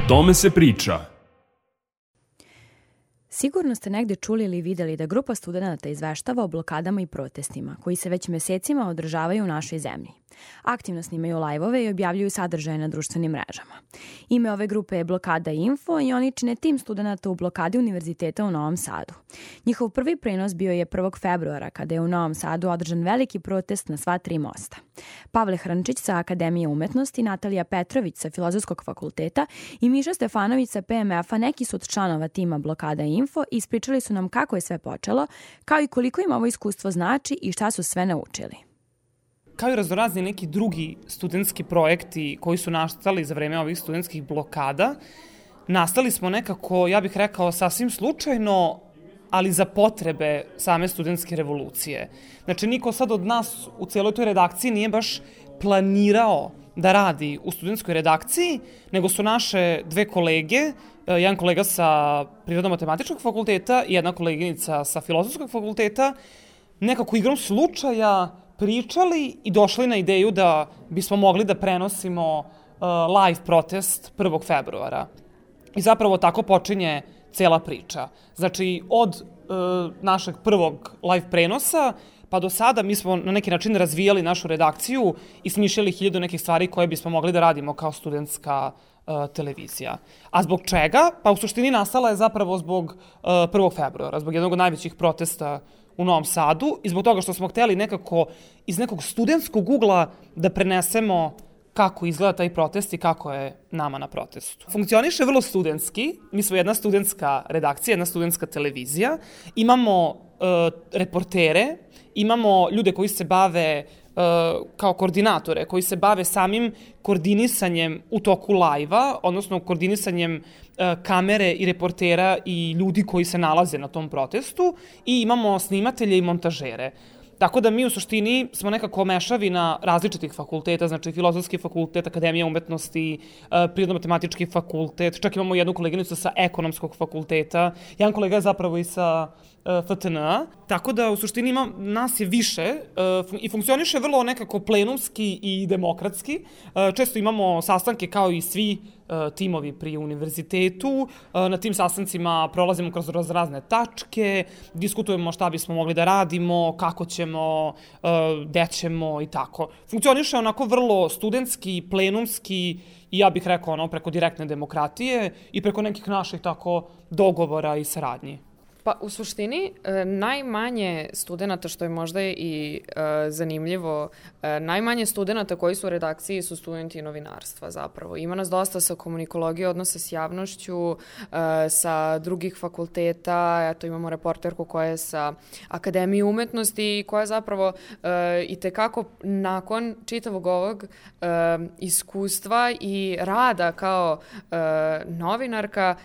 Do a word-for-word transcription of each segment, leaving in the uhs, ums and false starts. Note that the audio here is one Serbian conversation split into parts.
tome se priča. Sigurno ste negde čuli ili videli da grupa studenata izveštava o blokadama i protestima koji se već mesecima održavaju u našoj zemlji. Aktivno snimaju lajvove i objavljuju sadržaje na društvenim mrežama. Ime ove grupe je Blokada Info i oni čine tim studenata u blokadi Univerziteta u Novom Sadu. Njihov prvi prenos bio je prvog februara kada je u Novom Sadu održan veliki protest na sva tri mosta. Pavle Hrnčić sa Akademije umetnosti, Natalija Petrović sa Filozofskog fakulteta i Miša Stefanović sa P M F-a neki su od članova tima Blokada Info i ispričali su nam kako je sve počelo, kao i koliko im ovo iskustvo znači i šta su sve naučili. Kao i raznorazni neki drugi studentski projekti koji su nastali za vreme ovih studentskih blokada, nastali smo nekako, ja bih rekao, sasvim slučajno, ali za potrebe same studentske revolucije. Znači, niko sad od nas u cijeloj toj redakciji nije baš planirao da radi u studentskoj redakciji, nego su naše dve kolege, jedan kolega sa Prirodno-matematičkog fakulteta i jedna koleginica sa Filozofskog fakulteta, nekako igrom slučaja pričali i došli na ideju da bismo mogli da prenosimo uh, live protest prvog februara. I zapravo tako počinje cela priča. Znači, od uh, našeg prvog live prenosa pa do sada mi smo na neki način razvijali našu redakciju i smišljali hiljadu nekih stvari koje bismo mogli da radimo kao studentska uh, televizija. A zbog čega? Pa u suštini nastala je zapravo zbog uh, prvog februara, zbog jednog od najvećih protesta u Novom Sadu i zbog toga što smo hteli nekako iz nekog studentskog ugla da prenesemo kako izgleda taj protest i kako je nama na protestu. Funkcioniše vrlo studentski, mi smo jedna studentska redakcija, jedna studentska televizija, imamo uh, reportere, imamo ljude koji se bave uh, kao koordinatore, koji se bave samim koordinisanjem u toku lajva, odnosno koordinisanjem uh, kamere i reportera i ljudi koji se nalaze na tom protestu i imamo snimatelje i montažere. Tako da mi u suštini smo nekako mešavina različitih fakulteta, znači Filozofski fakultet, Akademija umetnosti, Prirodno-matematički fakultet, čak imamo jednu koleginicu sa Ekonomskog fakulteta, jedan kolega je zapravo i sa F T N A, tako da u suštini ima, nas je više i funkcioniše vrlo nekako plenumski i demokratski. Često imamo sastanke kao i svi timovi pri univerzitetu. Na tim sastancima prolazimo kroz razne tačke, diskutujemo šta bismo mogli da radimo, kako ćemo, gde ćemo i tako. Funkcioniše onako vrlo studentski, plenumski i ja bih rekao ono preko direktne demokratije i preko nekih naših tako dogovora i saradnji. Pa u suštini najmanje studenta, što je možda i e, zanimljivo, e, najmanje studenta koji su u redakciji su studenti novinarstva zapravo. Ima nas dosta sa komunikologije, odnosa s javnošću, e, sa drugih fakulteta, eto imamo reporterku koja je sa Akademije umetnosti i koja zapravo e, i tekako nakon čitavog ovog e, iskustva i rada kao e, novinarka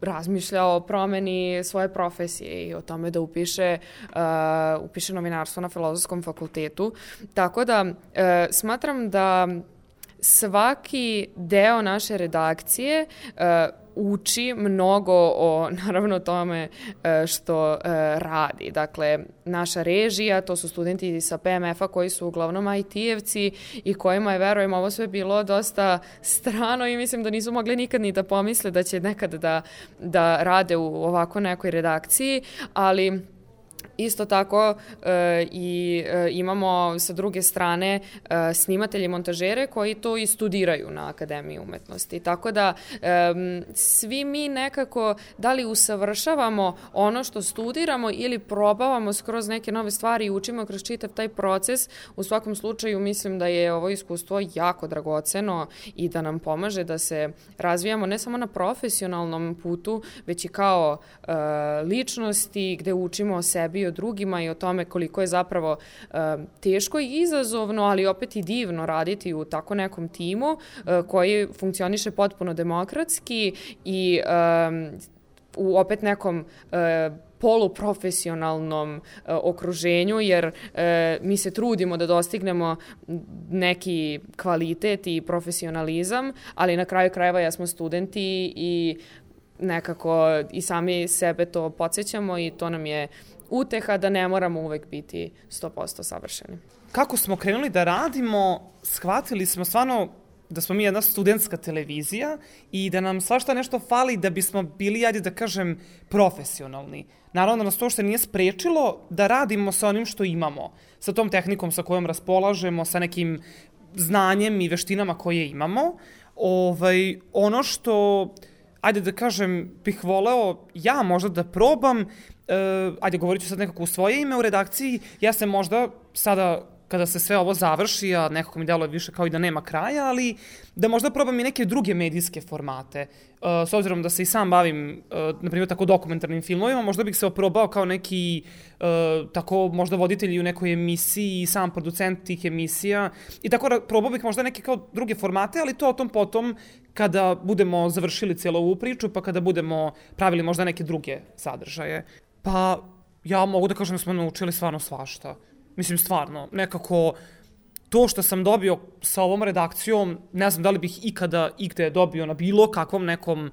razmišlja o promeni svoje profesije i o tome da upiše, uh, upiše novinarstvo na Filozofskom fakultetu. Tako da uh, smatram da svaki deo naše redakcije uh, uči mnogo o, naravno, tome što e, radi. Dakle, naša režija, to su studenti sa P M F-a koji su uglavnom I T-evci i kojima je, verujem, ovo sve bilo dosta strano i mislim da nisu mogli nikad ni da pomisle da će nekad da, da rade u ovako nekoj redakciji, ali isto tako e, i e, imamo sa druge strane e, snimatelje i montažere koji to i studiraju na Akademiji umetnosti. Tako da e, svi mi nekako da li usavršavamo ono što studiramo ili probavamo skroz neke nove stvari i učimo kroz čitav taj proces. U svakom slučaju mislim da je ovo iskustvo jako dragoceno i da nam pomaže da se razvijamo ne samo na profesionalnom putu, već i kao e, ličnosti gde učimo o sebi i o drugima i o tome koliko je zapravo e, teško i izazovno, ali opet i divno raditi u tako nekom timu e, koji funkcioniše potpuno demokratski i e, u opet nekom e, poluprofesionalnom e, okruženju, jer e, mi se trudimo da dostignemo neki kvalitet i profesionalizam, ali na kraju krajeva ja smo studenti i nekako i sami sebe to podsjećamo i to nam je uteha da ne moramo uvek biti sto posto savršeni. Kako smo krenuli da radimo, shvatili smo stvarno da smo mi jedna studentska televizija i da nam svašta nešto fali da bismo bili, ajde da kažem, profesionalni. Naravno da nas to što nije sprečilo da radimo sa onim što imamo, sa tom tehnikom sa kojom raspolažemo, sa nekim znanjem i veštinama koje imamo. Ovaj, ono što, ajde da kažem, bih voleo ja možda da probam, uh, ajde govorit ću sad nekako u svoje ime u redakciji, ja se možda sada kada se sve ovo završi, a nekako mi deluje više kao i da nema kraja, ali da možda probam i neke druge medijske formate. Uh, s obzirom da se i sam bavim, uh, na primjer, tako dokumentarnim filmovima, možda bih se oprobao kao neki, uh, tako možda voditelj u nekoj emisiji i sam producent tih emisija. I tako probao bih možda neke kao druge formate, ali to o tom potom kada budemo završili cijelu ovu priču, pa kada budemo pravili možda neke druge sadržaje. Pa ja mogu da kažem da smo naučili stvarno svašta. Mislim, stvarno, nekako to što sam dobio sa ovom redakcijom, ne znam da li bih ikada igde dobio na bilo kakvom nekom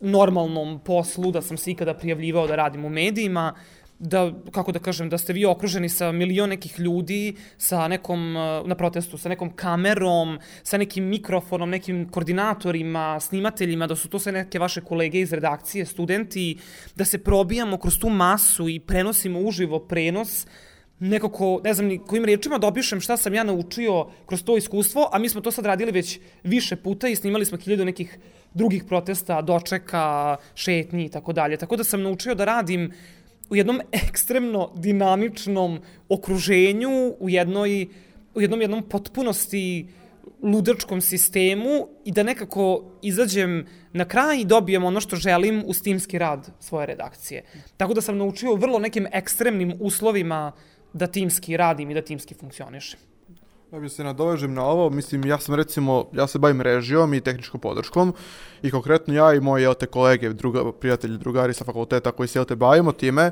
normalnom poslu, da sam se ikada prijavljivao da radim u medijima, da, kako da kažem, da ste vi okruženi sa milion nekih ljudi, sa nekom, na protestu, sa nekom kamerom, sa nekim mikrofonom, nekim koordinatorima, snimateljima, da su to sve neke vaše kolege iz redakcije, studenti, da se probijamo kroz tu masu i prenosimo uživo prenos, nekako, ne znam ni kojim riječima da opišem šta sam ja naučio kroz to iskustvo, a mi smo to sad radili već više puta i snimali smo hiljadu nekih drugih protesta, dočeka, šetnji i tako dalje. Tako da sam naučio da radim u jednom ekstremno dinamičnom okruženju, u jednoj, u jednom jednom potpunosti ludačkom sistemu i da nekako izađem na kraj i dobijem ono što želim uz timski rad svoje redakcije. Tako da sam naučio u vrlo nekim ekstremnim uslovima da timski radim i da timski funkcionišem. Ja bih se nadovežem na ovo, mislim, ja sam recimo, ja se bavim režijom i tehničkom podrškom i konkretno ja i moji, jel te, kolege, druga, prijatelji, drugari sa fakulteta koji se, jel te, bavimo time,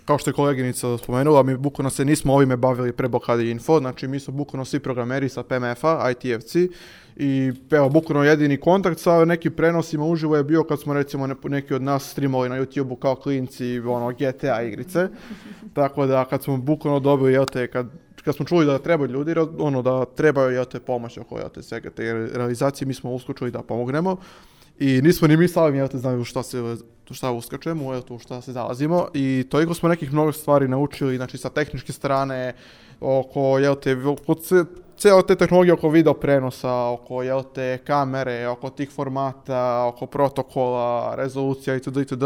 kao što je koleginica spomenula, mi bukvalno se nismo ovime bavili pre blokade info, znači mi smo bukvalno svi programeri sa P M F-a, I T-evci i evo, bukvalno jedini kontakt sa nekim prenosima uživo je bio kad smo recimo ne, neki od nas streamovali na YouTube-u kao klinci, ono, G T A igrice, tako da kad smo bukvalno dobili, jel te, kad kad smo čuli da trebaju ljudi, ono, da trebaju, jel te, pomoć oko, jel te, svega te realizacije, mi smo uskočili da pomognemo i nismo ni mi sami, jel te, znaju šta se šta uskačemo, jel te, šta se zalazimo i toliko smo nekih mnogo stvari naučili, znači sa tehničke strane, oko, jel te, cijela te tehnologije oko video prenosa, oko, jel te, kamere, oko tih formata, oko protokola, rezolucija itd. itd.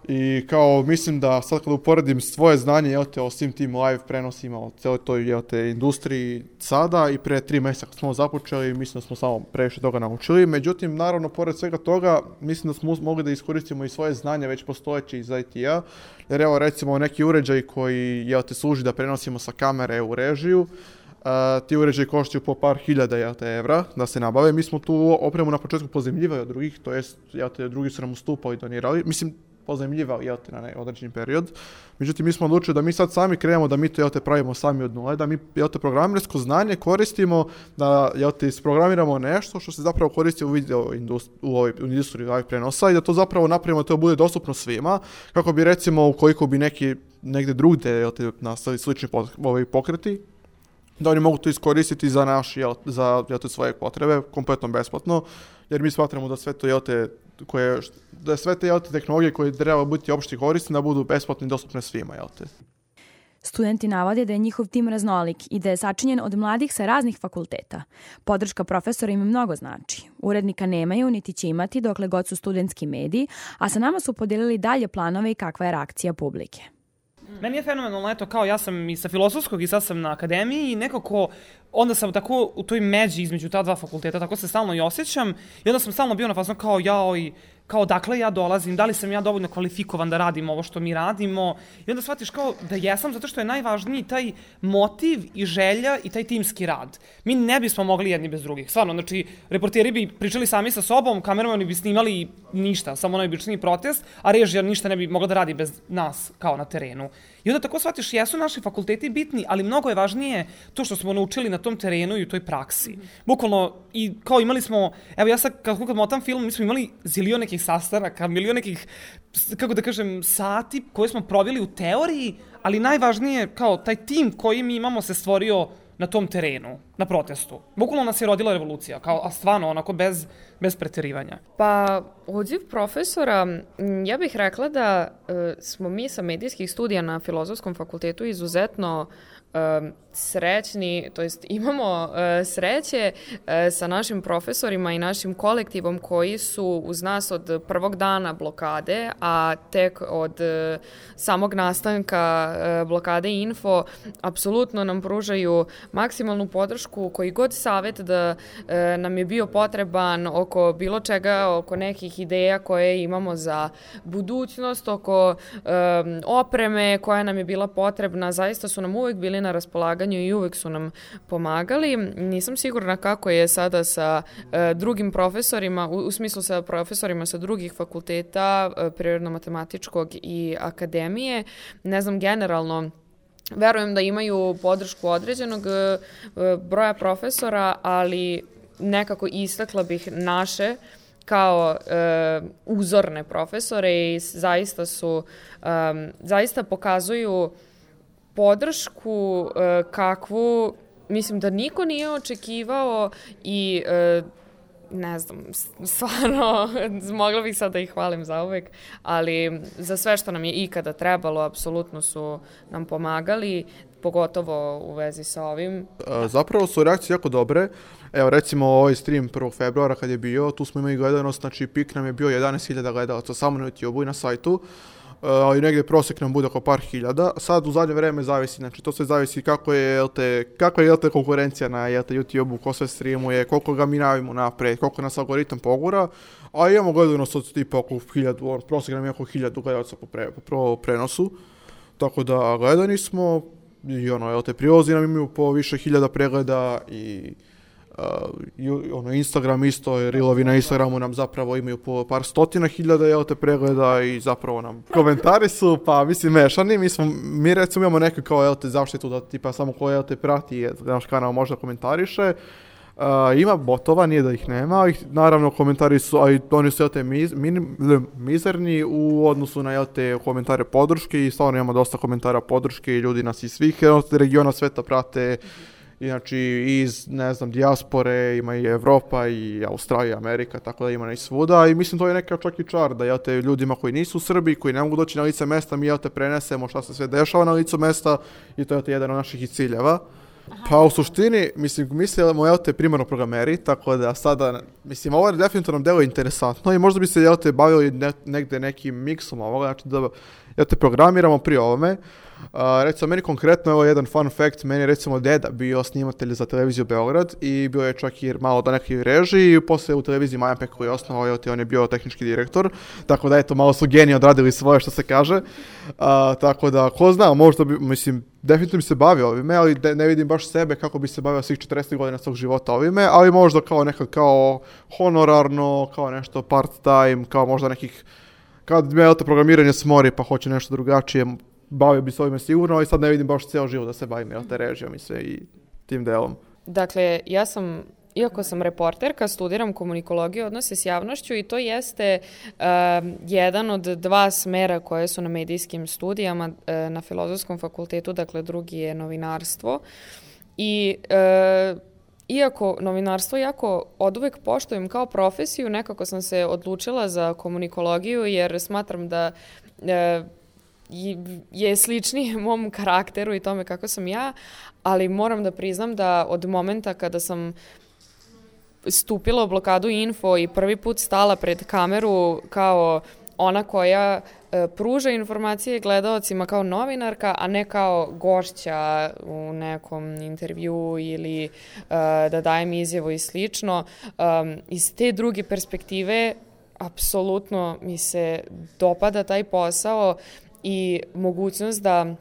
I kao, mislim da sad kad uporedim svoje znanje, jel te, o svim tim live prenosima, o cijeloj toj, jel te, industriji sada i pre tri mjeseca kad smo započeli, mislim da smo samo previše toga naučili. Međutim, naravno, pored svega toga, mislim da smo mogli da iskoristimo i svoje znanje već postojeće iz I T-a, jer evo, recimo, neki uređaj koji, jel te, služi da prenosimo sa kamere u režiju, Uh, ti uređaji koštaju po par hiljada, jel te, evra da se nabave. Mi smo tu opremu na početku pozajmljivali od drugih, to jest, jel te, drugi su nam ustupali i donirali. Mislim, pozajmljivali, jel te, na određeni period. Međutim, mi smo odlučili da mi sad sami krenemo, da mi to, jel te, pravimo sami od nule, da mi, jel te, programersko znanje koristimo, da, jel te, isprogramiramo nešto što se zapravo koristi u video industriji, u ovoj industriji live prenosa i da to zapravo napravimo da to bude dostupno svima, kako bi, recimo, ukoliko bi neki negde drugde, jel te, nastali slični pokreti, da oni mogu to iskoristiti za naš, jel, za, jel te, svoje potrebe, kompletno besplatno, jer mi smatramo da sve to, jel te, koje, da sve te, jel te, tehnologije koje treba biti opšte korisne, da budu besplatne i dostupne svima, jel te. Studenti navode da je njihov tim raznolik i da je sačinjen od mladih sa raznih fakulteta. Podrška profesora im mnogo znači. Urednika nemaju, niti će imati dokle god su studentski mediji, a sa nama su podelili dalje planove i kakva je reakcija publike. Meni je fenomenalno, eto, kao ja sam i sa filozofskog i sad sam na akademiji i nekako onda sam tako u toj međi između ta dva fakulteta, tako se stalno i osjećam i onda sam stalno bio na fazonu kao jao i kao dakle ja dolazim, da li sam ja dovoljno kvalifikovan da radim ovo što mi radimo i onda shvatiš kao da jesam zato što je najvažniji taj motiv i želja i taj timski rad. Mi ne bismo mogli jedni bez drugih, stvarno, znači reporteri bi pričali sami sa sobom, kameramani bi snimali ništa, samo najobičniji protest, a režija ništa ne bi mogla da radi bez nas kao na terenu. I onda tako shvatiš, jesu naši fakulteti bitni, ali mnogo je važnije to što smo naučili na tom terenu i u toj praksi. Bukvalno, i kao imali smo, evo ja sad kad, kad motam film, mi smo imali zilion nekih sastanaka, milion nekih, kako da kažem, sati koje smo proveli u teoriji, ali najvažnije, kao taj tim koji mi imamo se stvorio na tom terenu, na protestu? Bukvalno nas je rodila revolucija, kao, a stvarno, onako, bez, bez preterivanja. Pa, odziv profesora, ja bih rekla da e, smo mi sa medijskih studija na Filozofskom fakultetu izuzetno e, srećni, to jest imamo e, sreće e, sa našim profesorima i našim kolektivom koji su uz nas od prvog dana blokade, a tek od e, samog nastanka e, blokade Info apsolutno nam pružaju maksimalnu podršku, koji god savet da e, nam je bio potreban oko bilo čega, oko nekih ideja koje imamo za budućnost, oko e, opreme koja nam je bila potrebna, zaista su nam uvek bili na raspolaganju i uvek su nam pomagali. Nisam sigurna kako je sada sa e, drugim profesorima, u, u smislu sa profesorima sa drugih fakulteta, e, prirodno-matematičkog i akademije. Ne znam, generalno, verujem da imaju podršku određenog e, broja profesora, ali nekako istakla bih naše kao e, uzorne profesore i zaista su, e, zaista pokazuju podršku e, kakvu, mislim da niko nije očekivao i e, ne znam, stvarno, mogla bih sad da ih hvalim za uvek, ali za sve što nam je ikada trebalo, apsolutno su nam pomagali, pogotovo u vezi sa ovim. Zapravo su reakcije jako dobre. Evo, recimo ovaj stream prvog februara kad je bio, tu smo imali gledanost, znači pik nam je bio jedanaest hiljada gledalaca samo na YouTube-u i na sajtu, ali negdje prosjek nam bude oko par hiljada. Sad u zadnje vreme zavisi, znači to sve zavisi kako je, jel te, kako je jel te, konkurencija na jel te, YouTube-u, ko sve streamuje, koliko ga mi navimo napred, koliko nas algoritam pogura, a imamo gledanost od tipa oko hiljadu, on, prosjek nam je oko hiljadu gledalaca po, pre, po prenosu, tako da gledani smo i ono, jel te, prilozi nam imaju po više hiljada pregleda i Uh, i, ono, Instagram isto, reelovi na Instagramu nam zapravo imaju po par stotina hiljada jel te pregleda i zapravo nam komentari su, pa mislim, mešani. Mi, smo, mi recimo imamo neku kao jel te zaštitu da tipa samo ko jel te prati naš kanal možda komentariše. Uh, ima botova, nije da ih nema, ih, naravno komentari su, a i oni su jel te miz, min, mizerni u odnosu na jel te komentare podrške i stvarno imamo dosta komentara podrške i ljudi nas iz svih jel te, regiona sveta prate. Znači iz, ne znam, dijaspore, ima i Evropa i Australija, i Amerika, tako da ima i svuda i mislim to je neka čak i čar da jel te ljudima koji nisu u Srbiji, koji ne mogu doći na lice mesta, mi jel te prenesemo šta se sve dešava na licu mesta i to je te jedan od naših ciljeva. Pa u suštini, mislim, mislimo jel te primarno programeri, tako da sada, mislim, ovo je definitivno nam delo interesantno i možda bi se jel te bavili ne, negde nekim miksom ovoga, znači da jel te programiramo pri ovome. Uh, recimo, meni konkretno, evo jedan fun fact, meni je recimo deda bio snimatelj za televiziju Beograd i bio je čak i malo da neki režiji i posle u televiziji Majapek koji je osnovao, on je bio tehnički direktor, tako da eto, malo su geniji odradili svoje što se kaže, uh, tako da, ko zna, možda bi, mislim, definitivno bi se bavio ovime, ali de, ne vidim baš sebe kako bi se bavio svih četrdeset godina svog života ovime, ali možda kao nekad kao honorarno, kao nešto part time, kao možda nekih, kad me to programiranje smori pa hoće nešto drugačije, bavio bi se ovime sigurno, ali sad ne vidim baš cijelo život da se bavim jel te režijom i sve i tim delom. Dakle, ja sam, iako sam reporterka, studiram komunikologiju, odnose s javnošću i to jeste uh, jedan od dva smera koje su na medijskim studijama uh, na Filozofskom fakultetu, dakle drugi je novinarstvo. I uh, iako novinarstvo jako oduvek poštujem kao profesiju, nekako sam se odlučila za komunikologiju jer smatram da uh, je sličniji mom karakteru i tome kako sam ja, ali moram da priznam da od momenta kada sam stupila u blokadu Info i prvi put stala pred kameru kao ona koja e, pruža informacije gledaocima kao novinarka, a ne kao gošća u nekom intervju ili e, da dajem izjavu i slično, e, iz te druge perspektive apsolutno mi se dopada taj posao i mogućnost da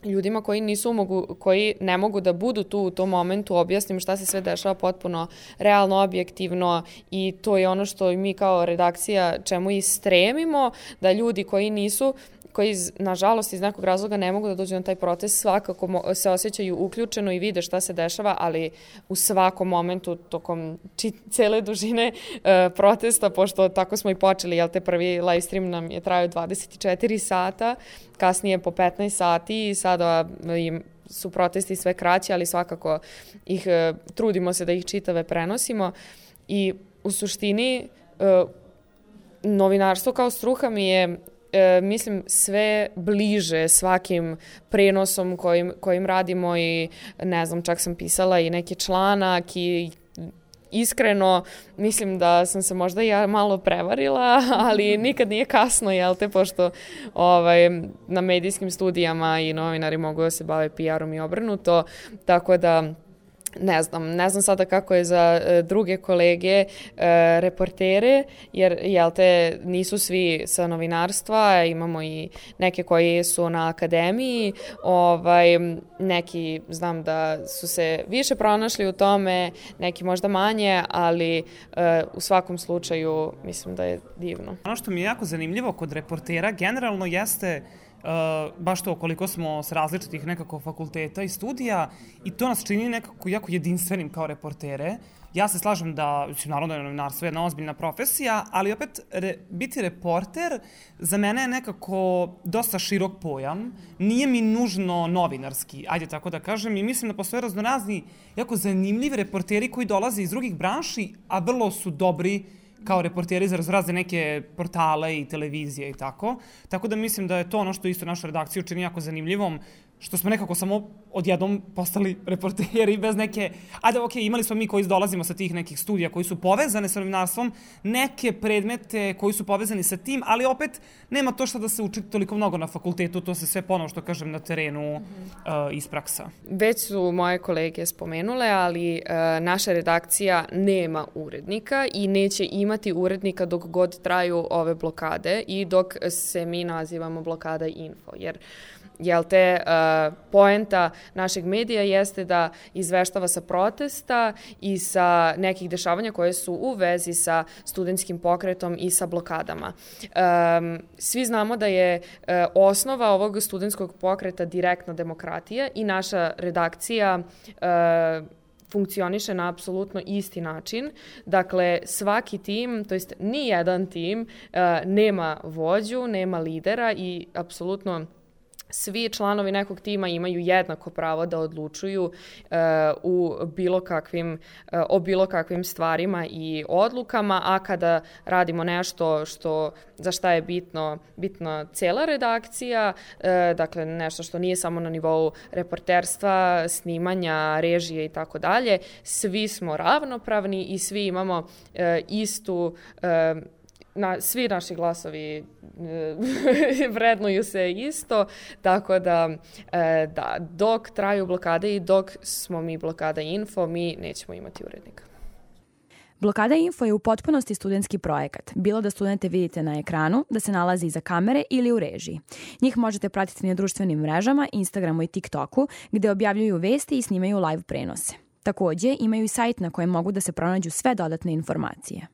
ljudima koji nisu mogu, koji ne mogu da budu tu u tom momentu objasnim šta se sve dešava potpuno realno, objektivno i to je ono što mi kao redakcija čemu i stremimo, da ljudi koji nisu koji, nažalost, iz nekog razloga ne mogu da dođu na taj protest, svakako se osjećaju uključeno i vide šta se dešava, ali u svakom momentu, tokom či, cele dužine e, protesta, pošto tako smo i počeli, jel te prvi live stream nam je trajao dvadeset četiri sata, kasnije po petnaest sati i sada im su protesti sve kraći, ali svakako ih e, trudimo se da ih čitave prenosimo i u suštini e, novinarstvo kao struka mi je E, mislim sve bliže svakim prenosom kojim, kojim radimo i ne znam, čak sam pisala i neki članak i iskreno mislim da sam se možda ja malo prevarila, ali nikad nije kasno, jel te, pošto ovaj, na medijskim studijama i novinari mogu da se bave P R-om i obrnuto, tako da ne znam, ne znam sada kako je za e, druge kolege e, reportere, jer jel te nisu svi sa novinarstva, imamo i neke koji su na akademiji, ovaj, neki znam da su se više pronašli u tome, neki možda manje, ali e, u svakom slučaju mislim da je divno. Ono što mi je jako zanimljivo kod reportera generalno jeste Uh, baš to koliko smo s različitih nekako fakulteta i studija i to nas čini nekako jako jedinstvenim kao reportere. Ja se slažem da, naravno je novinarstvo jedna ozbiljna profesija, ali opet re, biti reporter za mene je nekako dosta širok pojam. Nije mi nužno novinarski, ajde tako da kažem, i mislim da postoje raznorazni jako zanimljivi reporteri koji dolaze iz drugih branši, a vrlo su dobri kao reporteri za razrazne neke portale i televizije i tako. Tako da mislim da je to ono što isto našu redakciju čini jako zanimljivom, što smo nekako samo odjednom postali reporteri bez neke... Ajde, ok, imali smo mi koji dolazimo sa tih nekih studija koji su povezane sa novinarstvom, neke predmete koji su povezani sa tim, ali opet nema to što da se uči toliko mnogo na fakultetu, to se sve ponovo što kažem na terenu mm-hmm. uh, iz praksa. Već su moje kolege spomenule, ali uh, naša redakcija nema urednika i neće imati urednika dok god traju ove blokade i dok se mi nazivamo Blokada info, jer Jel te, uh, poenta našeg medija jeste da izveštava sa protesta i sa nekih dešavanja koje su u vezi sa studentskim pokretom i sa blokadama. Um, svi znamo da je uh, osnova ovog studentskog pokreta direktna demokratija i naša redakcija uh, funkcioniše na apsolutno isti način. Dakle, svaki tim, to jest ni jedan tim, uh, nema vođu, nema lidera i apsolutno svi članovi nekog tima imaju jednako pravo da odlučuju uh, u bilo kakvim, uh, o bilo kakvim stvarima i odlukama, a kada radimo nešto što, za šta je bitno, bitna cela redakcija, uh, dakle nešto što nije samo na nivou reporterstva, snimanja, režije i tako dalje, svi smo ravnopravni i svi imamo uh, istu uh, Na, svi naši glasovi e, vrednuju se isto, tako da, e, da dok traju blokade i dok smo mi Blokada info, mi nećemo imati urednika. Blokada info je u potpunosti studentski projekat, bilo da studente vidite na ekranu, da se nalazi iza kamere ili u režiji. Njih možete pratiti na društvenim mrežama, Instagramu i TikToku, gde objavljuju vesti i snimaju live prenose. Takođe, imaju i sajt na kojem mogu da se pronađu sve dodatne informacije.